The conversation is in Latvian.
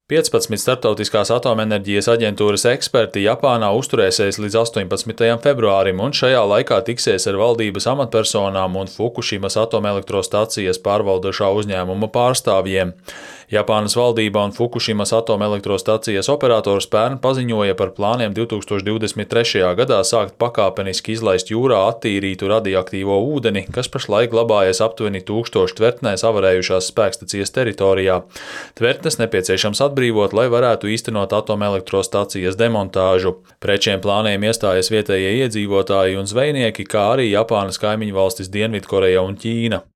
15 Starptautiskās atomenerģijas aģentūras eksperti Japānā uzturēsies līdz 18. februārim un šajā laikā tiksies ar valdības amatpersonām un Fukushimas atomelektrostacijas pārvaldošā uzņēmuma pārstāvjiem. Japānas valdība un Fukushimas atomelektrostacijas operators pērn paziņoja par plāniem 2023. gadā sākt pakāpeniski izlaist jūrā attīrītu radioaktīvo ūdeni, kas pašlaik glabājas aptuveni 1000 tvertnēs avarējušās spēkstacijas teritorijā. Tvertnes nepieciešams atbrīvot, lai varētu īstenot atomelektrostacijas demontāžu. Pret šiem plāniem iestājas vietējie iedzīvotāji un zvejnieki, kā arī Japānas kaimiņvalstis Dienvidkoreja un Ķīna.